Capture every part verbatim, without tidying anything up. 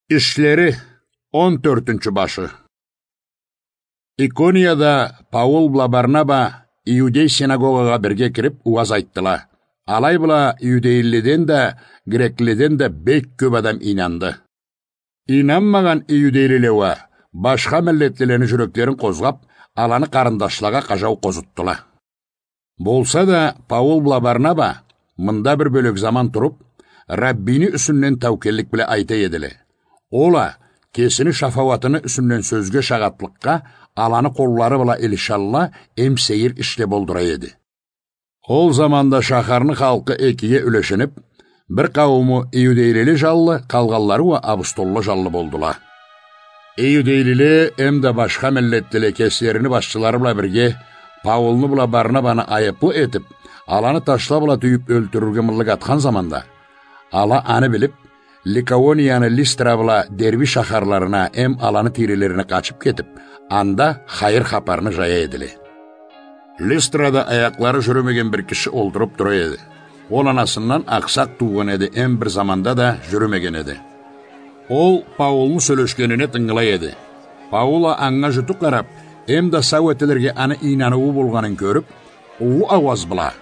Ишлери, он тёртюнчю башы. Иконияда Паул бла Барнаба иудей синагогагъа бирге кирип, уаз айтдыла. Алай бла иудейлиледен да, греклиледен да бек кёп адам ийнанды. Ийнанмагъан иудейлиле уа башха миллетлилени жюреклерин къозгъап, аланы къарындашлагъа къажау къозутдула. Болса да, Паул бла Барнаба мында бир бёлек заман туруп, Раббини юсюнден таукеллик бла айта эдиле. Ол а кесини шафауатыны юсюнден сёзге шагъатлыкъгъа аланы къоллары бла илишалла эм сейир ишле болдура эди. Ол заманда шахарны халкъы экиге юлешинип, бир къаууму иудейлиле жанлы, къалгъанлары уа абустолла жанлы болдула. Иудейлиле эмда башха миллетлиле кеслерини башчылары бла бирге Паулну бла Барнабаны айыплы этип, аланы ташла бла тюйюп ёлтюрюрге мыллык атхан заманда, ала аны билип, Ликаонияны Листра бла Дерби шахарларына эм аланы тийрелерине къачып кетип, анда хайыр хапарны жая эдиле. Листрада аякълары жюрюмеген бир киши олтуруп тура эди. Ол анасындан акъсакъ туугъан эди, эм бир заманда да жюрюмеген эди. Ол Паулну сёлешгенине тынгылай эди. Паул а анга жуту къарап, эмда сау этилирге аны ийнануу болгъанын кёрюп, уллу ауаз бла: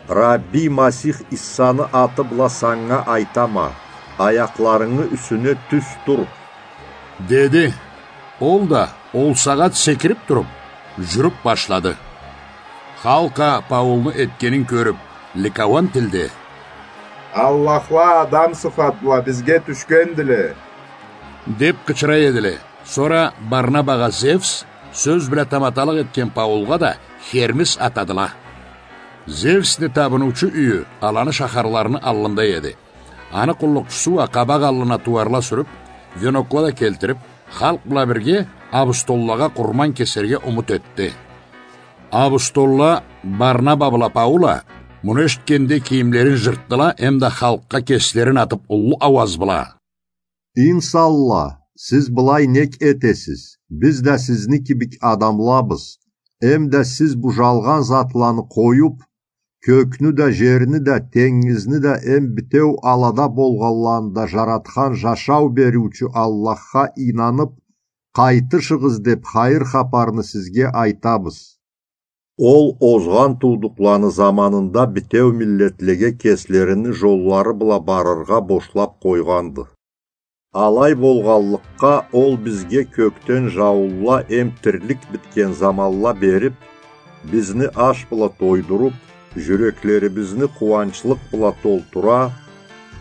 «Рабби Масих Иссаны аты бла санга айтама, аякъларынгы юсюне тюз тур», — деди. Ол да ол сагъат секирип туруп, жюрюп башлады. Халкъ а Паулну этгенин кёрюп, ликаон тилде: «Аллахла адам сыфат бла бизге тюшгендиле», — деп къычыра эдиле. Сора Барнабагъа Зевс, сёз бла таматалыкъ этген Паулгъа да Хермис атадыла. Зевсни табыныучу юйю аланы шахарларыны аллында эди. Аны къуллукъчусу уа къабакъ аллына тууарла сюрюп, венокла да келтирип, халкъ бла бирге абустоллагъа къурман кесерге умут этди. Абустолла Барнаба бла Паул а муну эшитгенде кийимлерин жыртдыла, эмда халкъгъа кеслерин атып уллу ауаз бла: «Инсанла, сиз былай нек этесиз? Биз да сизни кибик адамлабыз. Эмда сиз бу жалгъан затланы къоюп, кёкню да, жерни да, тенгизни да, эм битеу алада болгъанланы да жаратхан жашау бериучю Аллахха ийнанып, къайтышыгъыз деп хайыр хапарны сизге айтабыз. Ол озгъан туудукъланы заманында битеу миллетлеге кеслерини жоллары бла барыргъа бошлап къойгъанды. Алай болгъанлыкъгъа, ол бизге кёкден жауунла эм тирлик битген заманла берип, бизни аш бла тойдуруп, жюреклерибизни къууанчлыкъ бла толтура,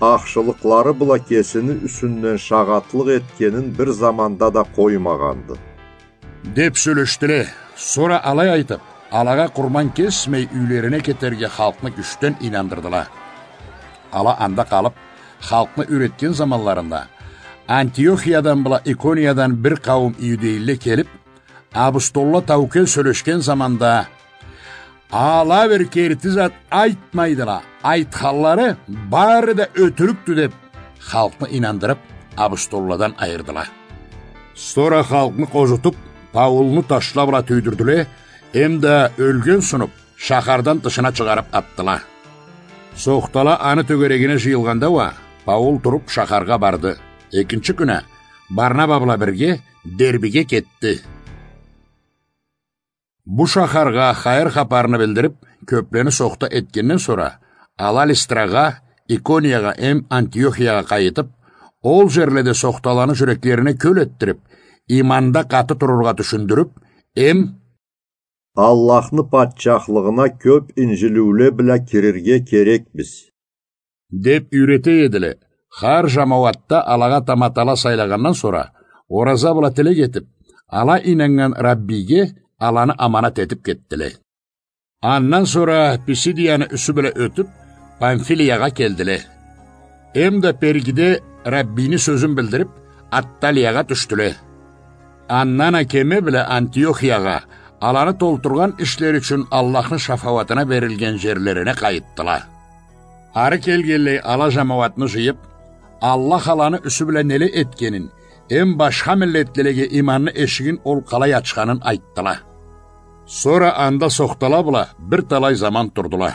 ахшылыкълары бла кесини юсюнден шагъатлыкъ этгенин бир заманда да къоймагъанды», — деп сёлешдиле. Сора алай айтып, алагъа къурман кесмей, юйлерине кетерге халкъны кючден ийнандырдыла. Ала анда къалып, халкъны юйретген заманларында, Антиохиядан бла Икониядан бир къауум иудейлиле келип, абустолла таукел сёлешген заманда: «Ала бир керти зат айтмайдыла, айтханлары бары да ётюрюкдю», — деп, халкъны ийнандырып, абустолладан айырдыла. Сора халкъны къозутуп, Паулну ташла бла тюйдюрдюле, эмда ёлген сунуп, шахардан тышына чыгъарып атдыла. Сохтала аны тёгерегине жыйылгъанда уа, Паул туруп шахаргъа барды. Экинчи кюн а Барнаба бла бирге Дербиге кетди. Бу шахаргъа хайыр хапарны билдирип, кёплени сохта этгенден сора, ала Листрагъа, Икониягъа эм Антиохиягъа къайтып, ол жерледе сохталаны жюреклерине кёл этдирип, иманда къаты турургъа тюшюндюрюп, эм «Аллахны патчахлыгъына кёп инжилиуле бла кирирге керекбиз», — деп юйрете эдиле. Хар жамауатда алагъа таматала сайлагъандан сора, ораза бла тилек этип, ала ийнаннган Раббиге аланы аманат этип кетдиле. Андан сора Писидияны юсю бла ётюп, Памфилиягъа келдиле. Эмда Пергиде Раббини сёзюн билдирип, Атталиягъа тюшдюле. Андан а кеме бла Антиохиягъа, аланы толтургъан ишлери ючюн Аллахны шафауатына берилген жерлерине къайтдыла. Ары келгенлей ала жамауатны жыйып, Аллах аланы юсю бла неле этгенин, эм башха миллетлилеге иманны эшигин ол къалай ачханын айтдыла. Сора анда сохтала бла бир талай заман турдула.